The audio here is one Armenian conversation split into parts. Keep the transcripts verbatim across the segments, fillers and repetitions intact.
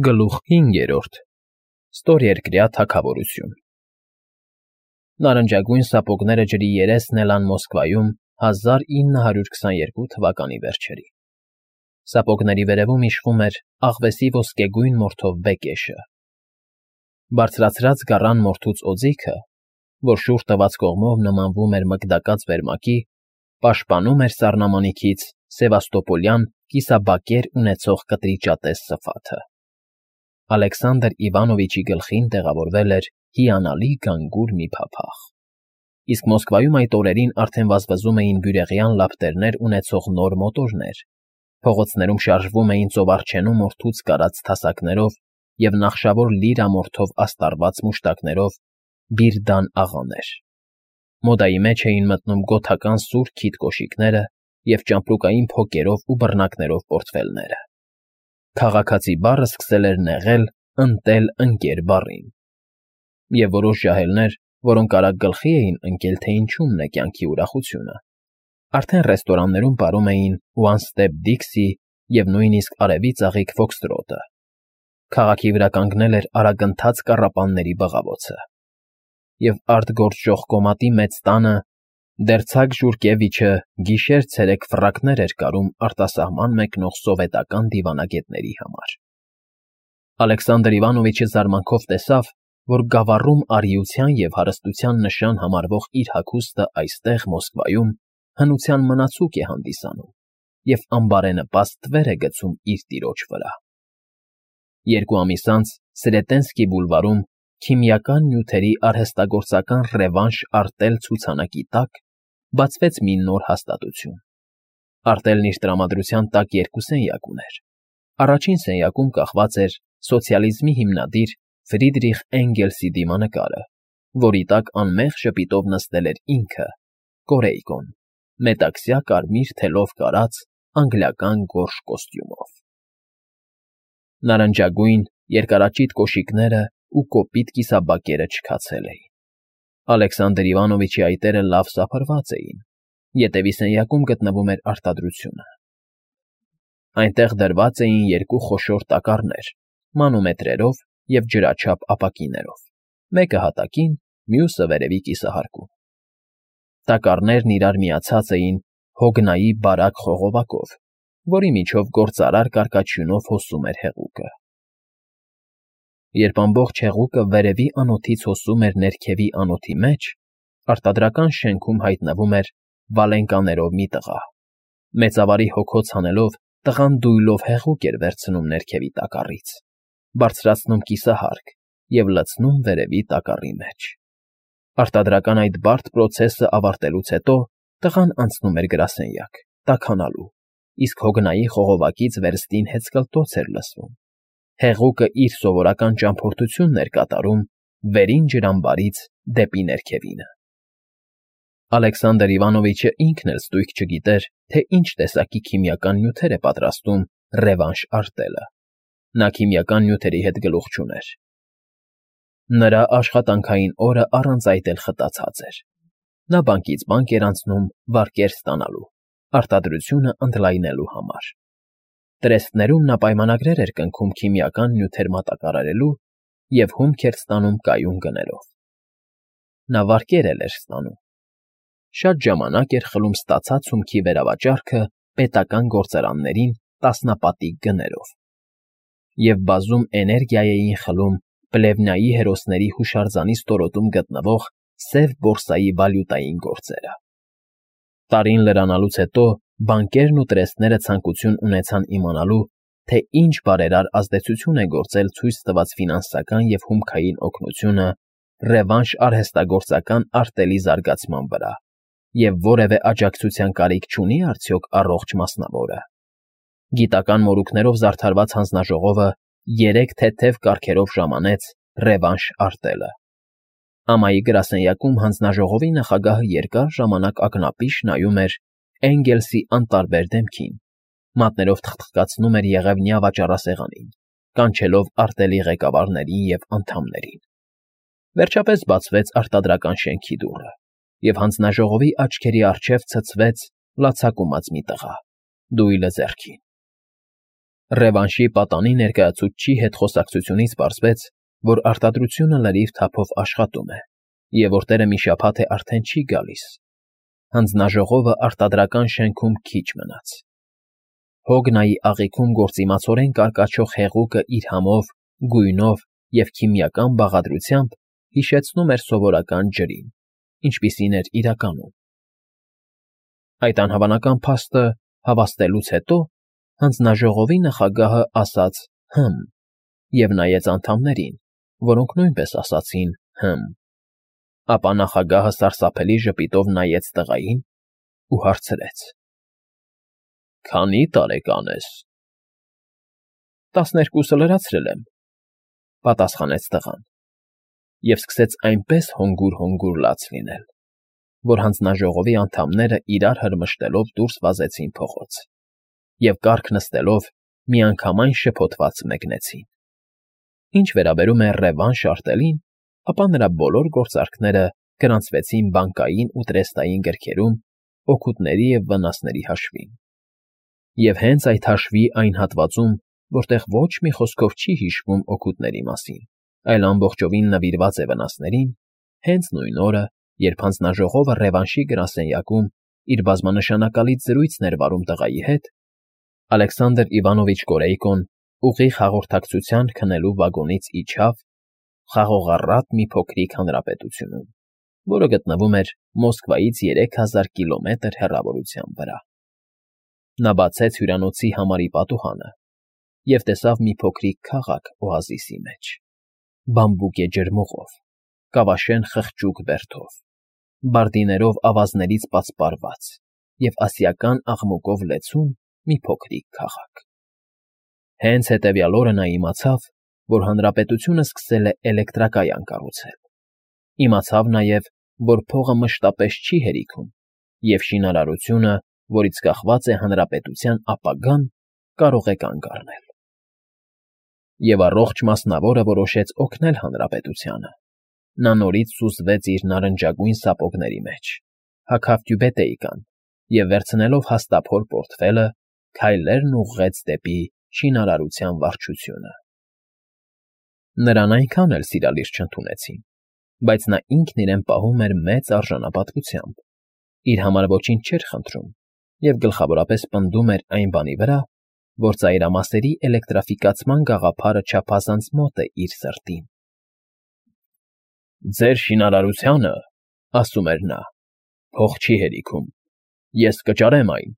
Գլուխ հինգերորդ Ստորերկրյա թագավորություն Նարնջագույն սապոգները ջրի երեսն էլան Մոսկվայում հազար ինը հարյուր քսաներկու թվականի վերջերին։ Սապոգների վերևում իշխում էր աղվեսի ոսկեգույն մորթով բեկեշը։ Բարձրացրած գառան մորթուց օձիքը, որ շուռ տված կողմով նմանվում էր մկդակած վերմակի, պաշտպանում էր սառնամանիքից սևաստոպոլյան կիսաբակեր ունեցող կտրիճատես սփաթը։ Ալեքսանդր Իվանովիչի գլխին տեղավորվել էր հիանալի գանգուր մի փափախ, իսկ Մոսկվայում այդ օրերին արդեն վազվզում էին բյուրեղյան լապտերներ ունեցող նոր մոտորներ, փողոցներում շարժվում էին ծովարջենու մորթուց կարած թասակներով և նախշավոր լիրամորթով աստառված մուշտակներով բիրդան աղաներ։ Մոդայի մեջ էին մտնում գոթական սուր քիթ կոշիկները և ճամպրուկային փոկերով ու բռնակներով պորտֆելները։ Քաղաքացի բառը սկսել էր նեղել «ընտել ընկեր» բառին, և որոշ ջահելներ, որոնք արագ գլխի էին ընկել, թե ինչումն է կյանքի ուրախությունը, արդեն ռեստորաններում պարում էին «One Step Dixie» և նույնիսկ արևի ծաղիկ ֆոքսթրոտը։ Քաղաքի վրա կանգնել էր արագընթաց կառապանների բղավոցը, և արտգործժող կոմատի մեծ տանը Դերձակ Ժուրկևիչը գիշեր֊ցերեկ ֆռակներ էր կարում արտասահման մեկնող սովետական դիվանագետների համար։ Ալեքսանդր Իվանովիչը զարմանքով տեսավ, որ գավառում արիության և հարստության նշան համարվող իր հագուստը այստեղ, Մոսկվայում, հնության մնացուկ է հանդիսանում և անբարենպաստ թվեր է գցում իր տիրոջ վրա։ Երկու ամիս անց Սրետենսկի բուլվարում քիմիական նյութերի արհեստագործական «Ռևանշ Արտել» ցուցանակի տակ բացվեց մի նոր հաստատություն։ Արտելն իր տրամադրության տակ երկու սենյակ ուներ։ Առաջին սենյակում կախված էր սոցիալիզմի հիմնադիր Ֆրիդրիխ Էնգելսի դիմանկարը, որի տակ անմեղ ժպիտով նստել էր ինքը՝ Կորեյկոն, մետաքսյա կարմիր թելով կարած անգլիական գորշ կոստյումով։ Նարնջագույն, երկարաճիտ կոշիկներն ու կոպիտ կիսաբակերը չքացել էին։ Ալեքսանդր Իվանովիչի այտերը լավ սափրված էին, ետևի սենյակում գտնվում էր արտադրությունը։ Այնտեղ դրված էին երկու խոշոր տակառներ մանոմետրերով և ջրաչափ ապակիներով, մեկը հատակին, մյուսը վերևի կիսահարկում։ Տակառներն իրար միացած էին հոգնայի բարակ խողովակով, որի միջով գործարար կարկաչյունով հոսում էր հեղուկը։ Երբ ամբողջ հեղուկը վերևի անոթից հոսում էր ներքևի անոթի մեջ, արտադրական շենքում հայտնվում էր վալենկաներով մի տղա։ Մեծավարի հոգոց հանելով, տղան դույլով հեղուկ էր վերցնում ներքևի տակառից, բարձրացնում կիսահարկ և լցնում վերևի տակառի մեջ։ Արտադրական այդ բարդ պրոցեսը ավարտելուց հետո տղան անցնում էր գրասենյակ՝ տաքանալու, իսկ հոգնայի խողովակից վերստին հեծկլտոց էր լսվում։ Հեղուկը իր սովորական ճամփորդությունն էր կատարում վերին ջրամբարից դեպի ներքևինը։ Ալեքսանդր Իվանովիչը ինքն էլ ստույգ չգիտեր, թե ինչ տեսակի քիմիական նյութեր է պատրաստում «Ռևանշ Արտելը»։ Նա քիմիական նյութերի հետ գլուխ չուներ։ Նրա աշխատանքային օրը առանց այդ էլ խտացած էր։ Նա բանկից բանկ էր անցնում վարկեր ստանալու, արտադրությունը ընդլայնելու համար։ Տրեստներում նա պայմանագրեր էր կնքում քիմիական նյութեր մատակարարելու և հումք էր ստանում կայուն գներով։ Նա վարկեր էլ էր ստանում։ Շատ ժամանակ էր խլում ստացած հումքի վերավաճառքը պետական գործարաններին տասնապատիկ գներով և բազում էներգիա էին խլում Պլևնայի հերոսների հուշարձանի ստորոտում գտնվող Սև բորսայի վալյուտային գործերը։ Տարին լրանալուց հետո բանկերն ու տրեստները ցանկություն ունեցան իմանալու, թե ինչ բարերար ազդեցություն է գործել ցույց տված ֆինանսական և հումքային օգնությունը «Ռևանշ» արհեստագործական արտելի զարգացման վրա և որևէ աջակցության կարիք չունի՞ արդյոք առողջ մասնավորը։ Գիտական մորուքներով զարդարված հանձնաժողովը երեք թեթև կարգերով ժամանեց «Ռևանշ Արտելը»։ Ամայի գրասենյակում հանձնաժողովի նախագահը երկար ժամանակ ակնապիշ նայում էր Էնգելսի անտարբեր դեմքին, մատներով թխթխկացնում էր եղևնյա վաճառասեղանին, կանչելով արտելի ղեկավարներին և անդամներին։ Վերջապես բացվեց արտադրական շենքի դուռը, և հանձնաժողովի աչքերի առջև ցցվեց լացակումած մի տղա՝ դույլը ձեռքին։ Ռևանշի պատանի ներկայացուցչի հետ խոսակցությունից պարզվեց, որ արտադրությունը լրիվ թափով աշխատում է, և որ տերը մի շաբաթ է արդեն չի գալիս։ Հանձնաժողովը արտադրական շենքում քիչ մնաց։ Հոգնայի աղիքում գործիմացորեն կարկաչող հեղուկը իր համով, գույնով և քիմիական բաղադրությամբ հիշեցնում էր սովորական ջրին, ինչպիսին էր իրականում։ Այդ անհավանական փաստը հավաստելուց հետո հանձնաժողովի նախագահը ասաց «հը՛մ» և նայեց անդամներին, որոնք նույնպես ասացին «հը՛մ»։ Ապա նախագահը սարսափելի ժպիտով նայեց տղային ու հարցրեց. «Քանի՞ տարեկան ես»։ «Տասներկուսը լրացրել եմ», պատասխանեց տղան, և սկսեց այնպես հանգուր֊հանգուր լաց լինել, որ հանձնաժողովի անդամները իրար հրմշտելով դուրս վազեցին փողոց և, կառք նստելով, միանգամայն շփոթված մեկնեցին։ Ինչ վերաբերում է Ռևան Շարտելին, ապա նրա բոլոր գործարքները գրանցվեցին բանկային ու տրեստային գրքերում օգուտների և վնասների հաշվին։ Եվ հենց այդ հաշվի այն հատվածում, որտեղ ոչ մի խոսքով չի հիշվում օգուտների մասին, այլ ամբողջովին նվիրված է վնասներին, հենց նույն օրը, երբ հանձնաժողովը Ռևանշի գրասենյակում իր բազմանշանակալից զրույցն էր վարում տղայի հետ, Ալեքսանդր Իվանովիչ Կորեյկոն ուղիղ հաղորդակցության քնելու վագոնից իջավ խաղողառատ մի փոքրիկ հանրապետությունում, որը գտնվում էր Մոսկվայից երեք հազար կիլոմետր հեռավորության վրա։ Նա բացեց հյուրանոցի համարի պատուհանը և տեսավ մի փոքրիկ քաղաք օազիսի մեջ, բամբուկե ջրմուղով, կավաշեն խղճուկ բերդով, բարդիներով ավազներից պատսպարված և ասիական աղմուկով լեցուն մի փոքրիկ քաղաք։ Հենց հետևյալ օրը նա իմացավ, որ հանրապետությունը սկսել է էլեկտրակայան կառուցել։ Իմացավ նաև, որ փողը մշտապես չի հերիքում, և շինարարությունը, որից կախված է հանրապետության ապագան, կարող է կանգ առնել։ Եվ առողջ մասնավորը որոշեց օգնել հանրապետությանը։ Նա նորից սուզվեց իր նարնջագույն սապոգների մեջ, հագավ տյուբետեյկան և, վերցնելով հաստափոր պորտֆելը, քայլերն ուղղեց դեպի շինարարության վարչությունը։ Նրան այնքան էլ սիրալիր չընդունեցին, բայց նա ինքն իրեն պահում էր մեծ արժանապատվությամբ, իր համար ոչինչ չէր խնդրում և գլխավորապես պնդում էր այն բանի վրա, որ ծայրամասերի էլեկտրաֆիկացման գաղափարը չափազանց մոտ է իր սրտին։ «Ձեր շինարարությանը, — ասում էր նա, — փող չի հերիքում, ես կճարեմ այն»։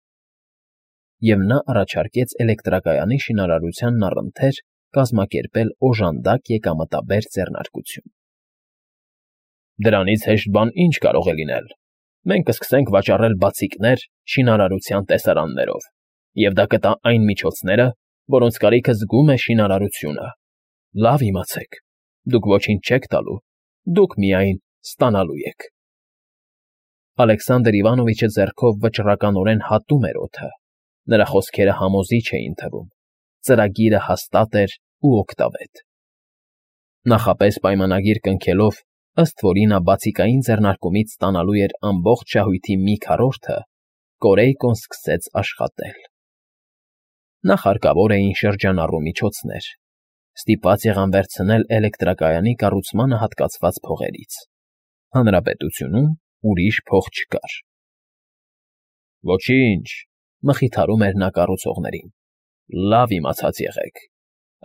Եվ նա առաջարկեց էլեկտրակայանի շինարարությանն առընթեր կազմակերպել օժանդակ եկամտաբեր ձեռնարկություն։ «Դրանից հեշտ բան ինչ կարող է լինել. մենք կսկսենք վաճառել բացիկներ շինարարության տեսարաններով, և դա կտա այն միջոցները, որոնց կարիքը զգում է շինարարությունը։ Լավ իմացեք, դուք ոչինչ չեք տալու, դուք միայն ստանալու եք»։ Ալեքսանդր Իվանովիչը ձեռքով վճռականորեն հատում էր օդը, նրա խոսքերը համոզիչ էին թվում, ծրագիրը հաստատ էր ու օգտավետ։ Նախապես պայմանագիր կնքելով, ըստ որի նա բացիկային ձեռնարկումից ստանալու էր ամբողջ շահույթի մի քառորդը, Կորեյկոն սկսեց աշխատել։ Նախ հարկավոր էին շրջանառու միջոցներ, ստիպված եղան վերցնել էլեկտրակայանի կառուցմանը հատկացված փողերից։ Հանրապետությունում ուրիշ փող չկար։ «Ոչինչ», — մխիթարում էր նա կառուցողներին, «լավ իմացած եղեք.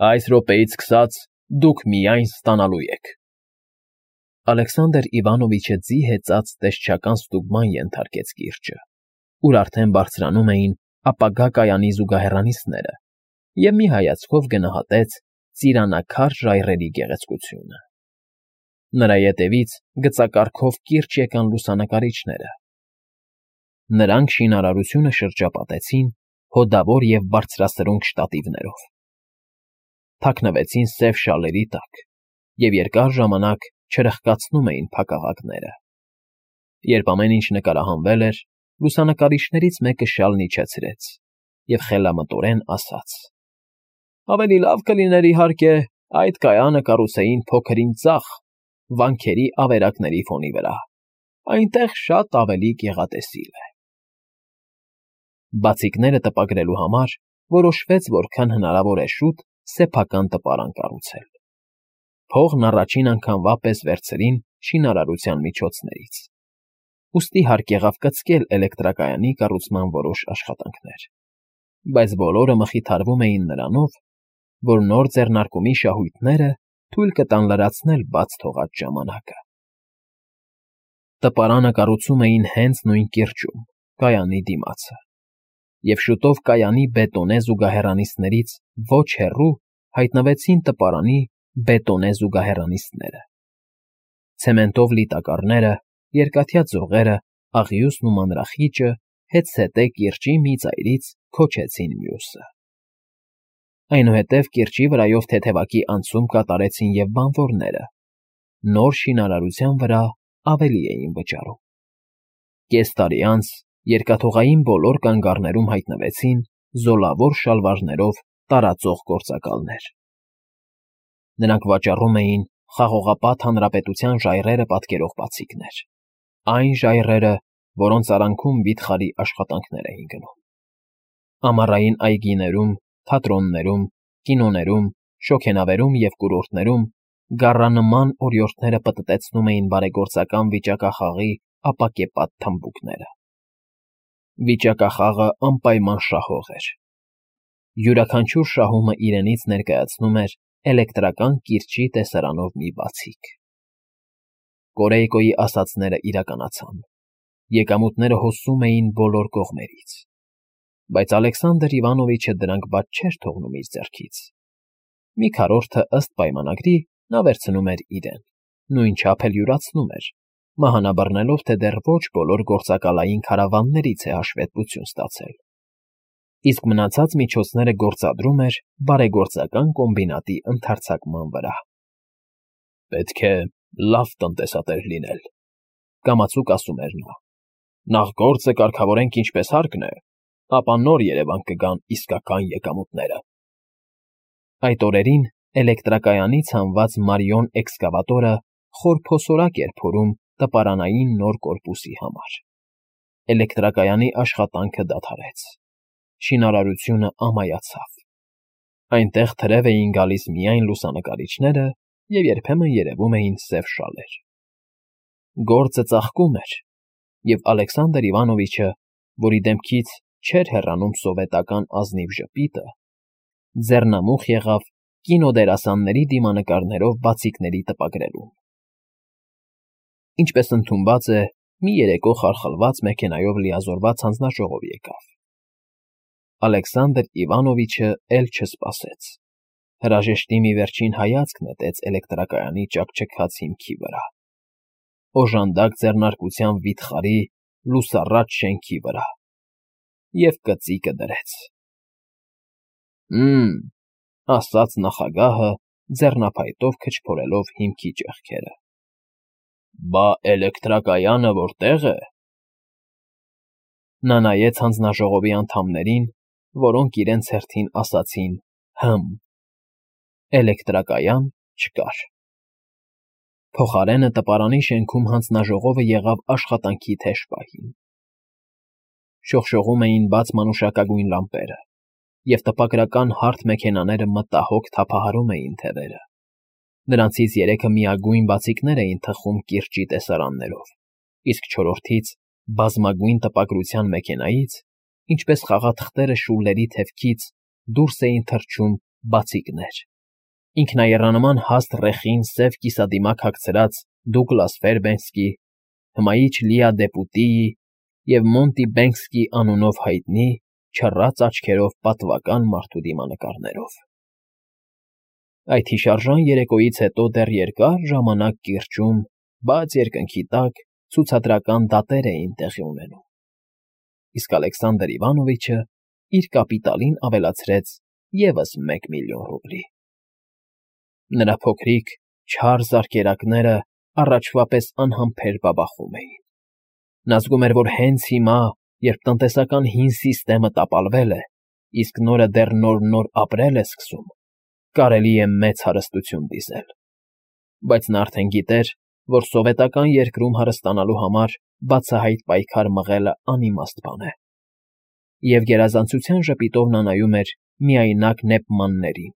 այս րոպեից սկսած դուք միայն ստանալու եք»։ Ալեքսանդր Իվանովիչը ձի հեծած տեսչական ստուգման ենթարկեց կիրճը, ուր արդեն բարձրանում էին ապագա կայանի զուգահեռանիցները, և մի հայացքով գնահատեց ծիրանաքար ժայռերի գեղեցկությունը։ Նրա ետևից գծակառքով կիրճ եկան լուսանկարիչները։ Նրանք շինարարությունը շրջապատեցին հոդավոր և բարձրասրունգ շտատիվներով, թաքնվեցին սև շալերի տակ և երկար ժամանակ չրխկացնում էին փակաղակները։ Երբ ամեն ինչ նկարահանվել էր, լուսանկարիչներից մեկը շալն իջեցրեց և խելամտորեն ասաց. «Ավելի լավ կլիներ, իհարկե, այդ կայանը կառուցեին փոքր-ինչ ձախ, վանքերի ավերակների ֆոնի վրա, այնտեղ շատ ավելի գեղատեսիլ է»։ Բացիկները տպագրելու համար, որոշվեց որքան հնարավոր է շուտ սեփական տպարան կառուցել։ Փողն առաջին անգամվա պես վերցրին շինարարության միջոցներից։ Ուստի հարկ եղավ կցկել էլեկտրակայանի կառուցման որոշ աշխատանքներ, բայց բոլորը մխիթարվում էին նրանով, որ նոր ձեռնարկումի շահույթները թույլ կտան լրացնել բաց թողած ժամանակը։ Տպարանը կառուցում էին հենց նույն կիրճում, կայանի դիմացը, և շուտով կայանի բետոնե զուգահեռանիցներից ոչ հեռու հայտնվեցին տպարանի բետոնե զուգահեռանիցները։ Ցեմենտով լի տակառները, երկաթյա ձողերը, աղյուսն ու մանրախիճը հետզհետե կիրճի մի ծայրից քոչեցին մյուսը։ Այնուհետև կիրճի վրայով թեթևակի անցում կատարեցին և բանվորները, նոր շինարարության վրա ավելի էին վճարում։ Կես տարի անց երկաթուղային բոլոր կանգառներում հայտնվեցին զոլավոր շալվարներով տարածող գործակալներ։ Նրանք վաճառում էին Խաղողապատ Հանրապետության ժայռերը պատկերող բացիկներ, այն ժայռերը, որոնց արանքում վիթխարի աշխատանքներ էին գնում։ Ամառային այգիներում, թատրոններում, կինոներում, շոգենավերում և կուրորտներում գառանման օրիորդները պտտեցնում էին բարեգործական վիճակախաղի ապակեպատ թմբուկները։ Վիճակախաղը անպայման շահող էր։ Յուրաքանչյուր շահումը իրենից ներկայացնում էր էլեկտրական կիրճի տեսարանով մի բացիկ։ Կորեյկոյի ասածները իրականացան։ Եկամուտները հոսում էին բոլոր կողմերից, բայց Ալեքսանդր Իվանովիչը դրանք բաց չէր թողնում իր ձեռքից։ Մի քառորդը ըստ պայմանագրի նա վերցնում էր իրեն, նույնչափ էլ յուրացնում էր, մահանաբռնելով, թե դեռ ոչ բոլոր գործակալային քարավաններից է հաշվետվություն ստացել, իսկ մնացած միջոցները գործադրում էր բարեգործական կոմբինատի ընդարձակման վրա։ «Պետք է լավ տնտեսատեր լինել», կամացուկ ասում էր նա։ «Նախ գործը կարգավորենք ինչպես հարկն է, ապա նոր երևան կգան իսկական եկամուտները»։ Այդ օրերին էլեկտրակայանից հանված Մարիոն էքսկավատորը խորփոսորակ էր փորում տպարանային նոր կորպուսի համար։ Էլեկտրակայանի աշխատանքը դադարեց։ Շինարարությունը ամայացավ։ Այնտեղ թրև էին գալիս միայն լուսանկարիչները և երբեմն երևում էին սև շալեր։ Գործը ծաղկում էր, և Ալեքսանդր Իվանովիչը, որի դեմքից չէր հեռանում սովետական ազնիվ ժպիտը, ձեռնամուխ եղավ կինոդերասանների դիմանկարներով բացիկների տպագրելուն։ Ինչպես ընդունված է, մի երեկո խարխլված մեքենայով լիազորված հանձնաժողով եկավ։ Ալեքսանդր Իվանովիչը էլ չսպասեց։ Հրաժեշտի մի վերջին հայացք նետեց էլեկտրակայանի ճաքճքած հիմքի վրա, օժանդակ ձեռնարկության վիթխարի, լուսառատ շենքի վրա և կծիկը դրեց։ «Հը՜մ», ասաց նախագահը, ձեռնափայտով քչփորելով հիմքի ճեղքերը։ «Բա էլեկտրակայանը որտե՞ղ է»։ Նա նայեց հանձնաժողովի անդամներին, որոնք իրենց հերթին ասացին «հը՜մ»։ Էլեկտրակայան չկար։ Փոխարենը տպարանի շենքում հանձնաժողովը եղավ աշխատանքի թեժ պահին։ Շողշողում էին բաց մանուշակագույն լամպերը, և տպագրական հարթ մեքենաները մտահոգ թափահարում էին թևերը։ Նրանցից երեքը միագույն բացիկներ էին թխում կիրճի տեսարաններով, իսկ չորրորդից բազմագույն տպագրության մեքենայից, ինչպես խաղաթղթերը շուլերի թևքից, դուրս էին թռչում բացիկներ։ Ինքնաեռանման հաստ ռեխին սև կիսադիմակ հագցրած Դուգլաս Ֆերբենքսի, հմայիչ Լիա Դեպուտիի և Մոնտի Բենքսկի անունով հայտնի չռած աչքերով պատվական մարդու դիմանկարներով։ Այդ հիշարժան երեկոյից հետո դեռ երկար ժամանակ կիրճում, բաց երկնքի տակ ցուցադրական դատեր էին տեղի ունենում, իսկ Ալեքսանդր Իվանովիչը իր կապիտալին ավելացրեց ևս մեկ միլիոն ռուբլի։ Նրա փոքրիկ, չար զարկերակները առաջվա պես անհամբեր բաբախում էին։ Նա զգում էր, որ հենց հիմա, երբ տնտեսական հին սիստեմը տապալվել է, իսկ նորը դեռ նոր֊նոր ապրել է սկսում, կարելի է մեծ հարստություն դիզել։ Բայց նա արդեն գիտեր, որ սովետական երկրում հարստանալու համար բացահայտ պայքար մղելը անիմաստ բան է։ Եվ գերազանցության ժպիտով նա նայում էր միայնակ նեպմաններին,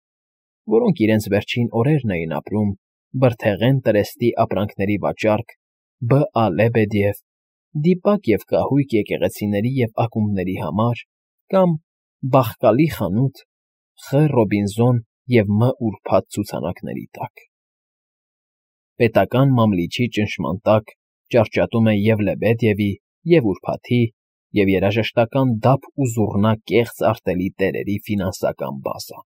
որոնք իրենց վերջին օրերն էին ապրում բրդեղեն տրեստի ապրանքների վաճառք Բ. Լեբեդև, դիպակ և կահույք եկեղեցիների և ակումբների համար կամ բախկալի խանութ Խ. Ռոբինզոն և Մ. Ուրբաթ ցուցանակների տակ։ Պետական մամլիչի ճնշման տակ ճարճատում է և Լեբեդևի, և Ուրբաթի, և երաժշտական դափ ու զուռնա կեղծ արտելի տերերի ֆինանսական բազան։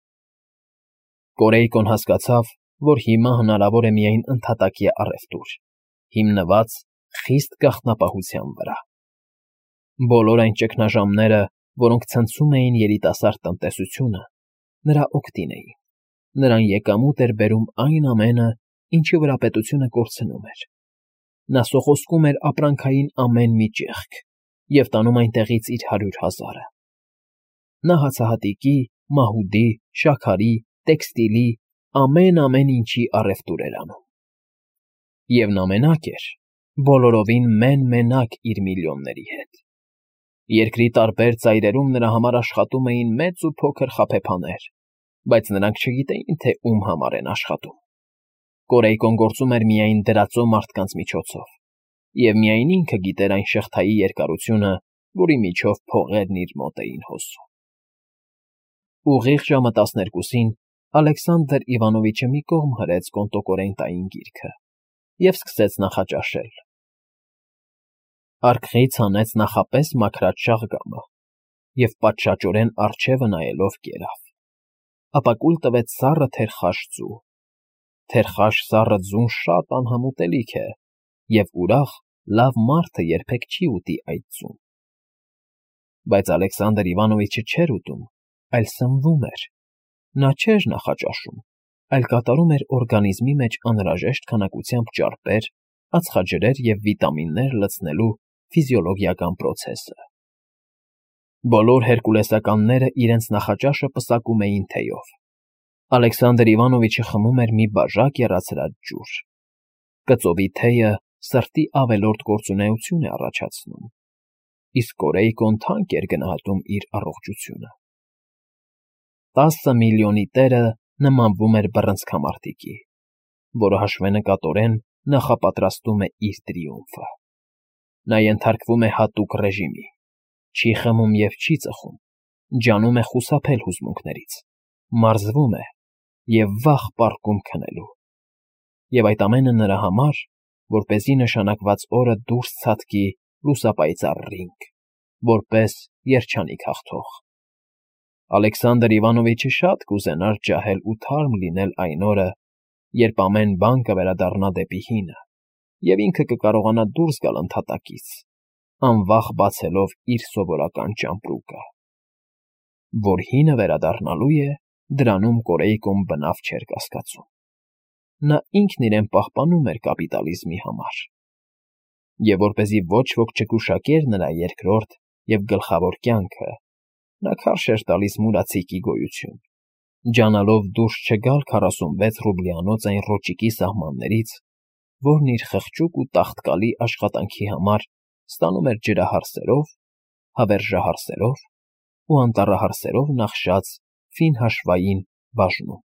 Կորեյկոն հասկացավ, որ հիմա հնարավոր է միայն ընդհատակյա առևտուր, հիմնված խիստ գաղտնապահության վրա։ Բոլոր այն ճգնաժամերը, որոնք ցնցում էին երիտասարդ տնտեսությունը, նրա օգտին էին, նրան եկամուտ էր բերում այն ամենը, ինչի վրա պետությունը կորցնում էր։ Նա սոխոսկում էր ապրանքային ամեն մի ճեղք և տանում այնտեղից իր հարյուր հազարը։ Նա հացահատիկի, մահուդի, շաքարի, տեքստիլի, ամեն֊ամեն ինչի առևտուր էր անում։ Եվ նա մենակ էր, բոլորովին մեն֊մենակ իր միլիոնների հետ։ Երկրի տարբեր ծայրերում նրա համար աշխատում էին մեծ ու փոքր խաբեբաներ, բայց նրանք չգիտեին, թե ում համար են աշխատում։ Կորեյկոն գործում էր միայն դրածո մարդկանց միջոցով, և միայն ինքը գիտեր այն շղթայի երկարությունը, որի միջով փողերն իր մոտ էին հոսում։ Ուղիղ ժամը տասներկուսին Ալեքսանդր Իվանովիչը մի կողմ հրեց կոնտոկորենտային գիրքը և սկսեց նախաճաշել։ Արկղից հանեց նախապես մաքրած շաղգամը և պատշաճորեն առջևը նայելով կերավ, ապա կուլ տվեց սառը թերխաշ ձու։ Թերխաշ սառը ձուն շատ անհամուտելիք է, և ուրախ, լավ մարդը երբեք չի ուտի այդ ձուն։ Բայց Ալեքսանդր Իվանովիչը չէր ուտում, այլ սնվում էր։ Նա չէր նախաճաշում, այլ կատարում էր օրգանիզմի մեջ անհրաժեշտ քանակությամբ ճարպեր, ածխաջրեր և վիտամիններ լցնելու ֆիզիոլոգիական պրոցեսը։ Բոլոր հերկուլեսականները իրենց նախաճաշը պսակում էին թեյով։ Ալեքսանդր Իվանովիչը խմում էր մի բաժակ եռացրած ջուր։ Կծովի թեյը սրտի ավելորդ գործունեություն է առաջացնում, իսկ Կորեյկոն թանկ էր գնահատում իր առողջությունը։ Տասը միլիոնի տերը նմանվում էր բռնցքամարտիկի, որը հաշվենկատորեն նախապատրաստում է իր տրիումֆը։ Նա ենթարկվում է հատուկ ռեժիմի, չի խմում և չի ծխում, ջանում է խուսափել հուզմունքներից, մարզվում է և վաղ պառկում քնելու։ Եվ այդ ամենը նրա համար, որպեսզի նշանակված օրը դուրս ցատկի լուսապայծառ ռինգ, որպես երջանիկ հաղթող։ Ալեքսանդր Իվանովիչը շատ կուզենար ջահել ու թարմ լինել այն օրը, երբ ամեն բան կվերադառնա դեպի հինը, և ինքը կկարողանա դուրս գալ ընդհատակից, անվախ բացելով իր սովորական ճամպրուկը։ Որ հինը վերադառնալու է, դրանում Կորեյկոն բնավ չէր կասկածում։ Նա ինքն իրեն պահպանում էր կապիտալիզմի համար։ Եվ որպեսզի ոչ ոք չգուշակեր նրա երկրորդ և գլխավոր կյանքը, նա քարշ էր տալիս մուրացիկի գոյություն, ջանալով դուրս չգալ քառասունվեց ռուբլյանոց այն ռոճիկի սահմաններից, որն իր խղճուկ ու տաղտկալի աշխատանքի համար ստանում էր ջրահարսերով, հավերժահարսերով ու անտառահարսերով նախշած ֆին հաշվային բաժնում։